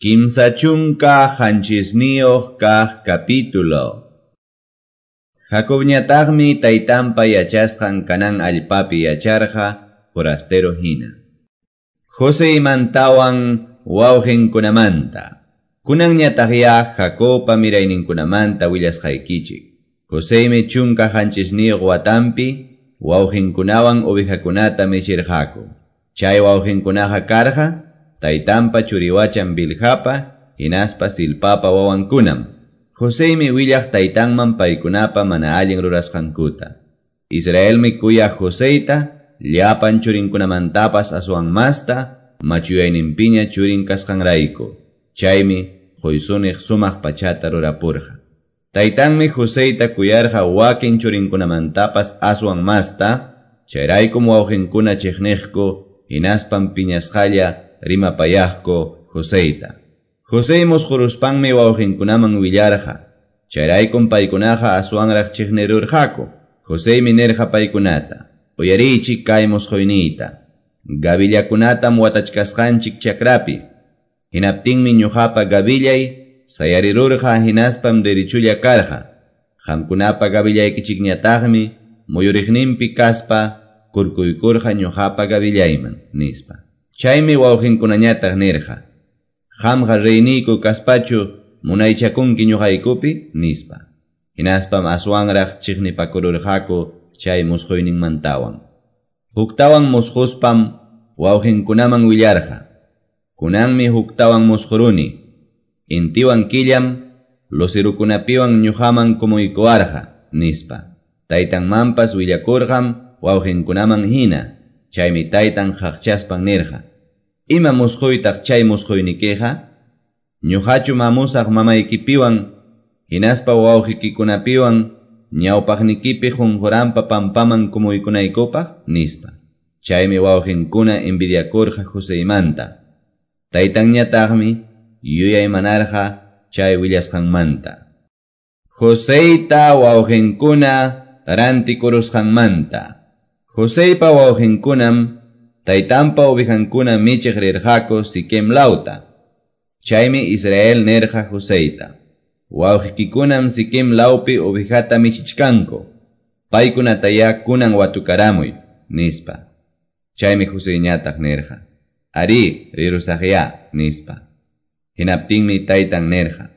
37 kaq capítulo. Jacobñataqmi taytanpa yachasqan Canaán allpapi yacharqa forastero hina. Joseymantawan wawqinkunamanta. Kunanñataqya Jacobpa mirayninkunamanta willasqaykichik. Joseymi 17 watanpi wawqinkunawan ovejakunata michirqaku. Chay wawqinkunaqa karqa taytanpa churiwachan Bilhapa hinaspa Zilpapa wawankunam. Joseymi willaq taytanman paykunapa mana allin rurasqankuta. Israelmi kuyaq Joseyta llapan churinkunamantapas aswan masta machuyayninpiña churin kasqanrayku. Chaymi Joysuniq sumaq pachata rurapurqa. Taytanmi Joseyta kuyarqa wakin churinkunamantapas aswan masta, chayraykum wawqinkuna chiqniqku hinaspam piñasqalla rimapayaqku Joseyta. Josey musquruspanmi wawqinkunaman willarqa, chayraykum paykunaqa aswanraq chiqnirurqaku. Joseymi nirqa paykunata: Uyariychik kay musquyniyta. Gavillakunatam watachkasqanchik chakrapi. Hinaptinmi ñuqapa gavillay sayarirurqa hinaspam derechulla karqa. Qamkunapa gavillaykichikñataqmi muyuriqninpi kaspa kurkuykurqa ñuqapa gavillayman, nispa. Chaymi wawqinkunañataq nirqa: Qamqa reyniyku kaspachu munaychakunki ñuqaykupi, nispa. Hinaspam aswanraq chiqnipakururqaku chay musquyninmantawan. Huktawan musquspam wawqinkunaman willarqa: Kunanmi huktawan musquruni. Intiwan killam lucerukunapiwan ñuqaman kumuykuwarqa, nispa. Taytanmanpas willakurqam wawqinkunaman hina. Chaymi taytan qaqchaspan nirqa: Ima musquytaq chay musquynikiqa? Ñuqachu mamusaq mamaykipiwan hinaspa wawqikikunapiwan ñawpaqnikipi qunquranpa pampaman kumuykunaykupaq, nispa. Chaymi wawqinkuna envidiakurqa Joseymanta. Taytanñataqmi yuyaymanarqa chay willasqanmanta. Joseyta wawqinkuna rantikurusqanmanta. Joseypa wawqinkunam taytanpa ovejankuna michiq rirqaku Siquem lawta. Chaymi Israel nirqa Joseyta: Wawqikikunam Siquem lawpi ovejata michichkanku. Paykunatayá kunan watukaramuy, nispa. Chaymi Joseyñataq nirqa: Arí, rirusaqyá, nispa. Hinaptinmi taytan nirqa: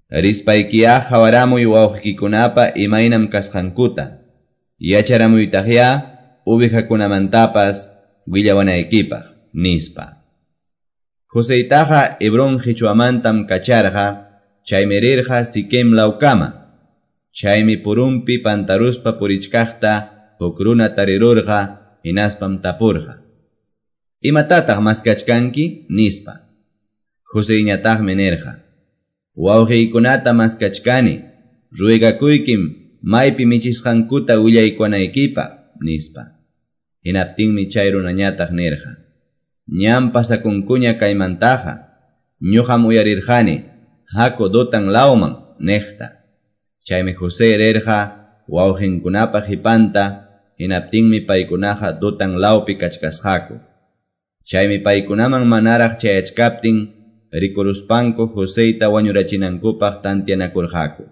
Rispaykiyá qhawaramuy wawqikikunapa imaynam kasqankuta. Yacharamuytaqyá ovejakunamantapas willawanaykipaq, nispa. Joseytaqa Hebrón qichwamantam kacharqa, chaymi rirqa Siquem lawkama. Chaymi purunpi pantaruspa purichkaqta huk runa tarirurqa, hinaspam tapurqa: Imatataq maskachkanki? Nispa. Joseyñataqmi nirqa: Wawqiykunata maskachkani, ruegakuykim maypi michisqankuta willaykuwanaykipaq, nispa. Hinaptinmi chay runañataq nirqa: Ñam pasakunkuña kaymantaqa, ñuqam uyarirqani, haku Dotan lawman, niqta. Chaymi José rirqa wawqinkunapa qhipanta, hinaptinmi paykunaqa Dotan lawpi kachkasqaku. Chaymi paykunaman manaraq chayachkaptin rikuruspanku Joseyta wañurachinankupaq tantianakurqaku.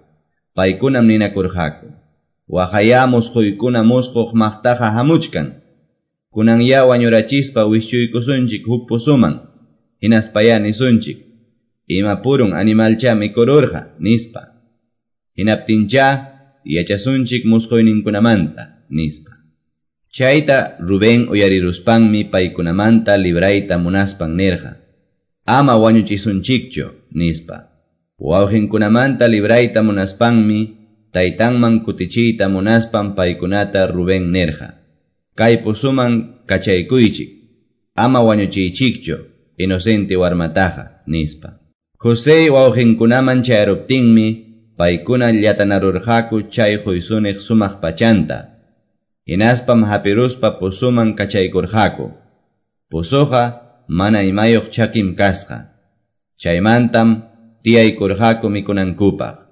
Paykunam ninakurqaku: Waqayá musquykuna musquq maqtaqa hamuchkan. Kunanyá wañurachispa wischuykusunchik huk pozoman. Hinaspayá nisunchik: Ima purun animalchá mikururqa, nispa. Hinaptinchá yachasunchik musquyninkunamanta, nispa. Chayta Rubén uyariruspanmi paykunamanta librayta munaspan nirqa: Ama wañuchisunchikchu, nispa. Wawqinkunamanta librayta munaspanmi taytanman kutichiyta munaspan paykunata Rubén nirqa: Kay pozoman kachaykuychik, ama wañuchiychikchu, inocente warmataqa, nispa. José wawqinkunaman chayaruptinmi paykuna llatanarurqaku chay Joysuniq sumaq pachanta. Hinaspam hapiruspa pozoman kachaykurqaku. Pozoqa mana imayuq chakim kasqa. Chaymantam tiyaykurqaku mikunankupaq.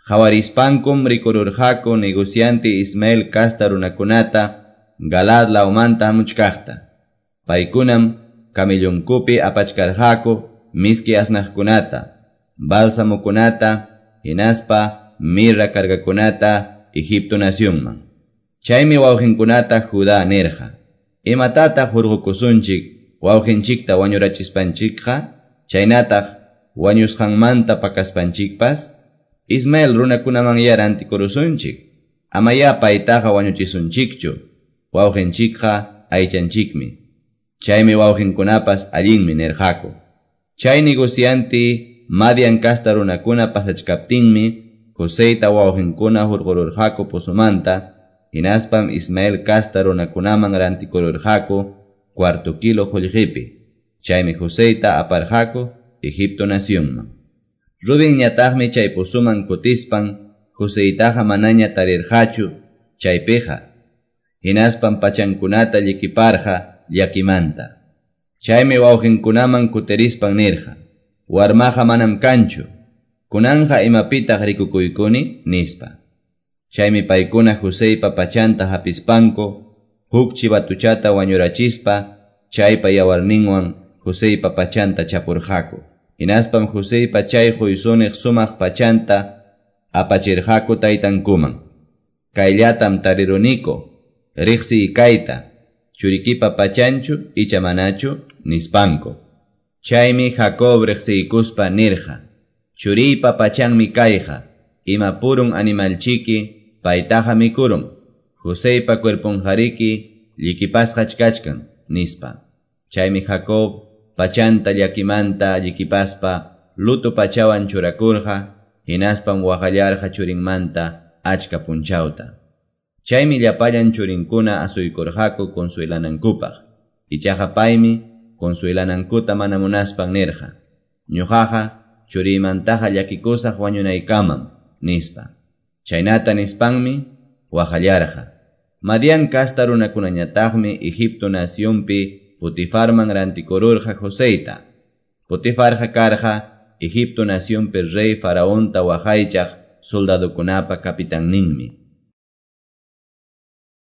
Qhawarispankum rikururqaku negociante Ismael casta runakunata Galaad lawmanta hamuchkaqta. Paykunam camellonkupi apachkarqaku miski asnaqkunata, bálsamokunata, hinaspa mirra cargakunata Egipto nacionman. Chaymi wawqinkunata Judá nirqa: Imatataq hurqukusunchik wawqinchikta wañurachispanchikqa, chaynataq wañusqanmanta pakaspanchikpas? Ismael runakunamanyá rantikurusunchik, amayá paytaqa wañuchisunchikchu, wawqinchikqa aychanchikmi. Chaymi wawqinkunapas allinmi nirqaku. Chay negociante Madian casta runakuna pasachkaptinmi Joseyta wawqinkuna hurqururqaku pozomanta, hinaspam Ismael casta runakunaman rantikururqaku cuarto kilo qullqipi. Chaymi Joseyta aparqaku Egipto nacionman. Rubenñataqmi chay pozoman kutispan Joseytaqa manaña tarirqachu chaypiqa. Hinaspam pachankunata llikiparqa llakimanta. Chaymi wawqinkunaman kutirispan nirqa: Warmaqa manam kanchu, kunanqa imapitaq rikukuykuni, nispa. Chaymi paykuna Joseypa pachanta hapispanku huk chivatuchata wañurachispa chaypa yawarninwan Joseypa pachanta chapurqaku. Hinaspam Joseypa chay quysuniq sumaq pachanta apachirqaku taytankuman. Kayllatam tariruniku, riqsiy kayta, churikipa pachanchu icha manachu, nispanku. Chaymi Jacob riqsiykuspa nirqa: Churiypa pachanmi kayqa, ima purun animalchiki paytaqa mikurun, Joseypa cuerponqariki llikipasqach kachkan, nispa. Chaymi Jacob pachanta llakimanta llikipaspa luto pachawan churakurqa, hinaspam waqallarqa churinmanta achka punchawta. Chaymi llapallan churinkuna asuykurqaku consuelanankupaq. Ichaqa paymi consuelanankuta mana munaspan nirqa: Ñuqaqa churiymantaqa llakikusaq wañunaykamam, nispa. Chaynata nispanmi waqallarqa. Madian casta runakunañataqmi Egipto nacionpi Potifarman rantikururqa Joseyta. Potifarqa karqa Egipto nacionpi rey Faraonta waqaychaq soldadokunapa capitanninmi.